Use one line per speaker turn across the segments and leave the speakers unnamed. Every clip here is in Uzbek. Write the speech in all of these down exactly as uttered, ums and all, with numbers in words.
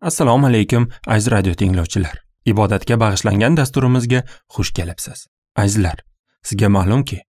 Assalomu alaykum aziz radio tinglovchilar. Ibodatga bag'ishlangan dasturimizga xush kelibsiz. Azizlar, sizga ma'lumki,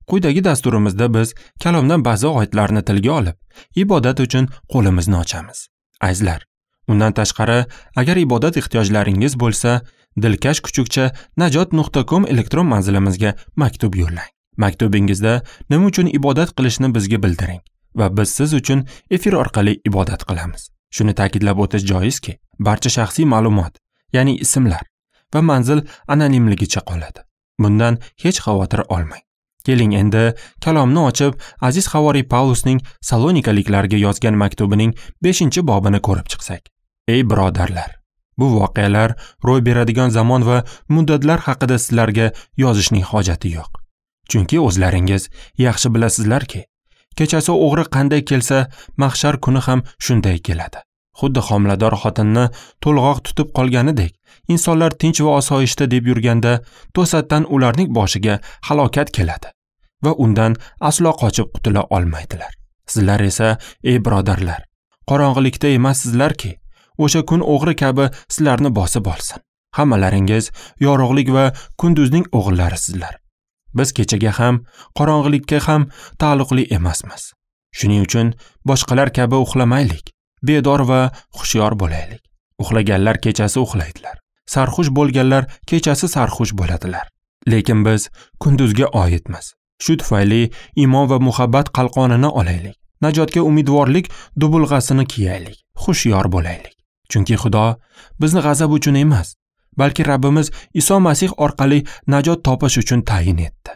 quyidagi dasturimizda biz kalomdan ba'zi oyatlarni tilga olib, ibodat uchun qo'limizni ochamiz. Azizlar, undan tashqari, agar ibodat ehtiyojlaringiz bo'lsa, dilkash kuchukcha najot nuqta com elektron manzilimizga maktub yo'llang. Maktubingizda nima uchun ibodat qilishni bizga bildiring va biz siz uchun efir orqali ibodat qilamiz. Shuni ta'kidlab o'tish joizki, barcha shaxsiy ma'lumot, ya'ni ismlar va manzil anonimligicha qoladi. Bundan hech xavotir olmang. Keling endi kalomni ochib, aziz havoriy Pavlusning Salonikaliklarga yozgan maktubining beshinchi bobini ko'rib chiqsak. Ey birodarlar, bu voqealar ro'y beradigan zamon va muddatlar haqida sizlarga yozishning hojati yo'q. Chunki o'zlaringiz yaxshi bilasizlarki, kechasi o'g'ri qanday kelsa, mahshar kuni ham shunday keladi. Xuddi homilador xotinni to'lg'oq tutib qolganidek, insonlar tinch va osoyishta deb yurganda, to'satdan ularning boshiga halokat keladi va undan aslo qochib qutula olmaydilar. Sizlar esa, ey birodarlar, qorong'ilikda emassizlarki, o'sha kun o'g'ri kabi sizlarni bosib olsin. Hammalaringiz yorug'lik va kunduzning o'g'illarisizlar. Biz kechaga ham, qorong'ilikka ham taalluqli emasmiz. Shuning uchun boshqalar kabi uxlamaylik, bedor va hushyor bo'laylik. Uxlaganlar kechasi uxlaydilar, sarxush bo'lganlar kechasi sarxush bo'ladilar. Lekin biz kunduzga oidmiz. Shu tufayli iymon va muhabbat qalqonini olaylik. Najotga umidvorlik dubulg'asini kiyaylik, hushyor bo'laylik. Chunki Xudo bizni g'azab uchun emas, balki Rabbimiz Iso Masih orqali najot topish uchun tayin etdi.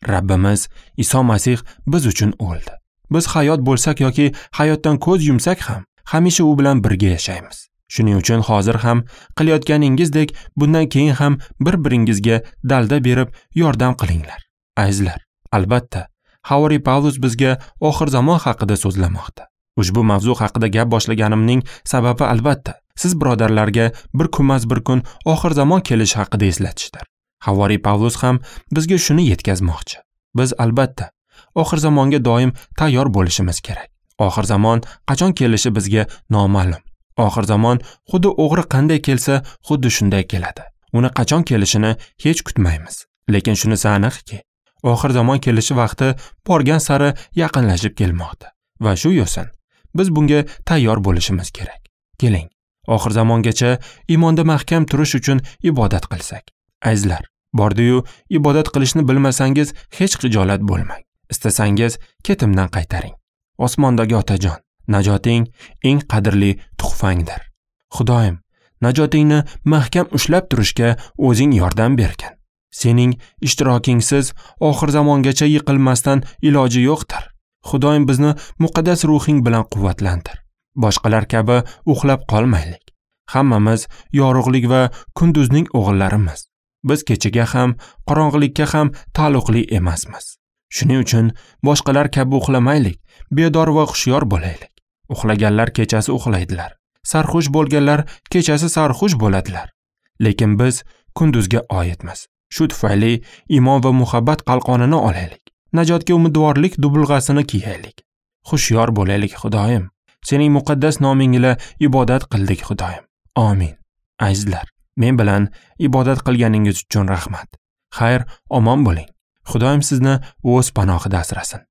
Rabbimiz Iso Masih biz uchun o'ldi. Biz hayot bo'lsak yoki hayotdan ko'z yumsak ham, hamisha u bilan birga yashaymiz. Shuning uchun hozir ham qilayotganingizdek, bundan keyin ham bir-biringizga dalda berib yordam qilinglar. Azizlar, albatta, havoriy Pavlus bizga oxir zamon haqida so'zlamoqda. Ushbu mavzu haqida gap boshlaganimning sababi albatta siz birodarlarga bir kunmas bir kun oxir zamon kelishi haqida eslatishdir. Havoriy Pavlus ham bizga shuni yetkazmoqchi. Biz albatta oxir zamonga doim tayyor bo'lishimiz kerak. Oxir zamon qachon kelishi bizga noma'lum. Oxir zamon xuddi o'g'ri qanday kelsa, xuddi shunday keladi. Uni qachon kelishini hech kutmaymiz. Lekin shunisi aniqki, oxir zamon kelishi vaqti borgan sari yaqinlashib kelmoqda va shu yo'sin biz bunga tayyor bo'lishimiz kerak. Keling, oxir zamongacha iymonda mahkam turish uchun ibodat qilsak. Azizlar, bordi-yu ibodat qilishni bilmasangiz hech xijolat bo'lmang. Istasangiz ketimdan qaytaring. Osmondagi Otajon, najoting eng qadrli tuhfangdir. Xudoyim, najotingni mahkam ushlab turishga o'zing yordam bergin. Sening ishtirokingsiz oxir zamongacha yiqilmasdan iloji yo'qdir. Xudoyim bizni muqaddas ruhing bilan quvvatlantir. Boshqalar kabi uxlab qolmaylik. Hammamiz yorug'lik va kunduzning o'g'illarimiz. Biz kechaga ham, qorong'ilikka ham taalluqli emasmiz. Shuning uchun boshqalar kabi uxlamaylik, bedor va hushyor bo'laylik. Uxlaganlar kechasi uxlaydilar, sarxush bo'lganlar kechasi sarxush bo'ladilar. Lekin biz kunduzga oidmiz. Shu tufayli iymon va muhabbat qalqonini olaylik. Najotga umidvorlik dubulg'asini kiyaylik. Hushyor bo'laylik, Xudoyim. Sening muqaddas noming ila ibodat qildik, Xudoyim. Amin. Azizlar, men bilan ibodat qilganingiz uchun rahmat. Xayr, omon bo'ling. Xudoyim sizni o'z panohida asrasin.